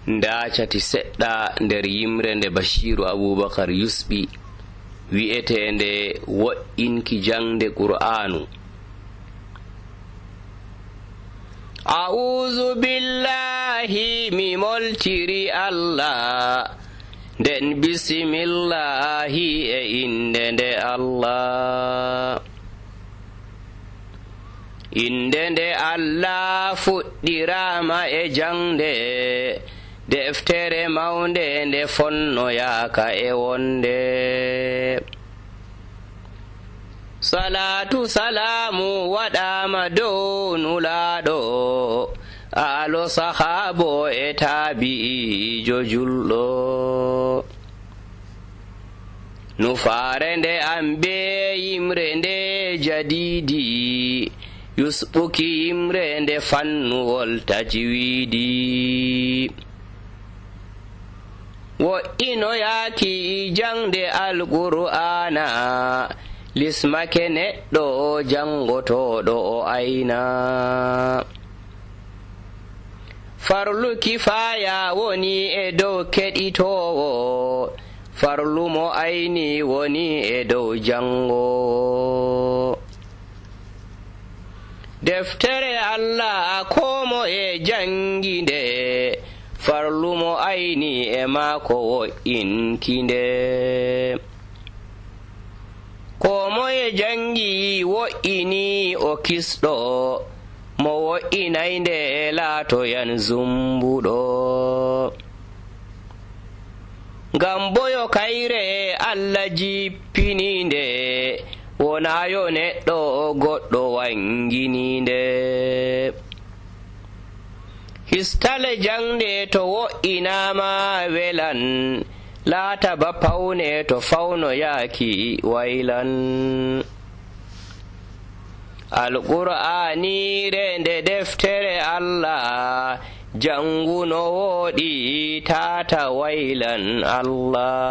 ndaacati seɗɗa nder yimre nde Bashiru Abubakar yusɓi wi'eteende wo'inki jangde Qur'anu. A'uuzu billahi mi moltiri Allah, nden bisimillahi e inde nde Allah. Inde nde Allah fuɗɗirama e jangde, deftere mawnde nde fonnoyaaka e wonde. Salatu salamu waɗama dow nulaaɗo, aalo sahaabo e taabi'ijo julɗo. Nufaare nde am be yimre nde jadiidi, yusɓuki yimre nde fannuwol tajwiidi. Wo'inoyaaki jangde Alqur'ana, lismake neɗɗo jangotoɗo o ayna. Farlu kifaya woni e dow keɗitowo, farlu mo ayni woni e dow jangowo. Deftere Allah komo e janginde, farlu mo ayni e maako wo'inkinde. Komoye jangi wo'ini o kisɗo, mo wo'inaynde laatoyan zumbuɗo. Ngam boyo kayre Allah jippininde, wonayo neɗɗo goɗɗo wangininde. Histale jangde to wo'inama welan, laata ba pawne to fawnoyaaki waylan. Alqur'aaniire nde deftere Allah, janguno wooɗi taata waylan Allah.